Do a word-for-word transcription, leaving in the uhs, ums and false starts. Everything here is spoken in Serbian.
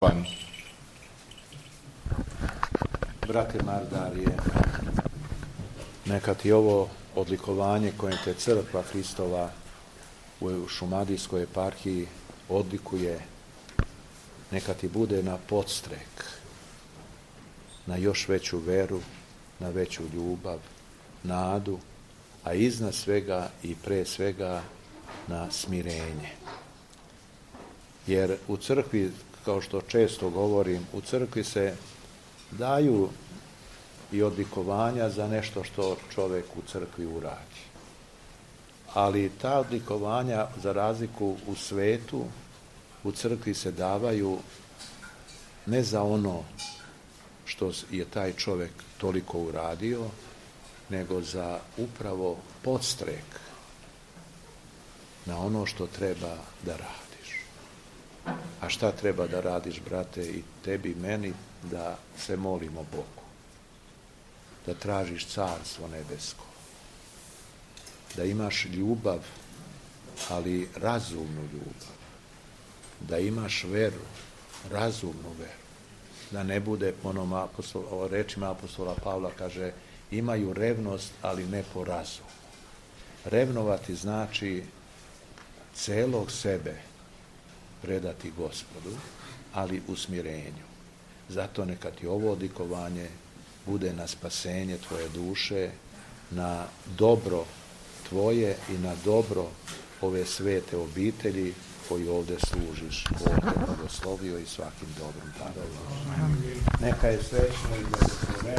Pan. Brate Mardarije, neka ti ovo odlikovanje koje te crkva Hristova u Šumadijskoj eparhiji odlikuje, neka ti bude na podstrek, na još veću veru, na veću ljubav, nadu, a iznad svega i pre svega na smirenje. Jer u crkvi, kao što često govorim, u crkvi se daju i odlikovanja za nešto što čovjek u crkvi uradi. Ali ta odlikovanja, za razliku u svetu, u crkvi se davaju ne za ono što je taj čovjek toliko uradio, nego za upravo podstrek na ono što treba da radiš. A šta treba da radiš, brate, i tebi, meni? Da se molimo Bogu, da tražiš carstvo nebesko, da imaš ljubav, ali razumnu ljubav, da imaš veru, razumnu veru, da ne bude, onom apostol, rečima apostola Pavla kaže, imaju revnost, ali ne po razumu. Revnovati znači celog sebe predati Gospodu, ali u smirenju. Zato neka ti ovo odlikovanje bude na spasenje tvoje duše, na dobro tvoje i na dobro ove svete obitelji koji ovdje služiš. Bog te blagoslovio i svakim dobrom darom. Neka je srećno i blagosloveno.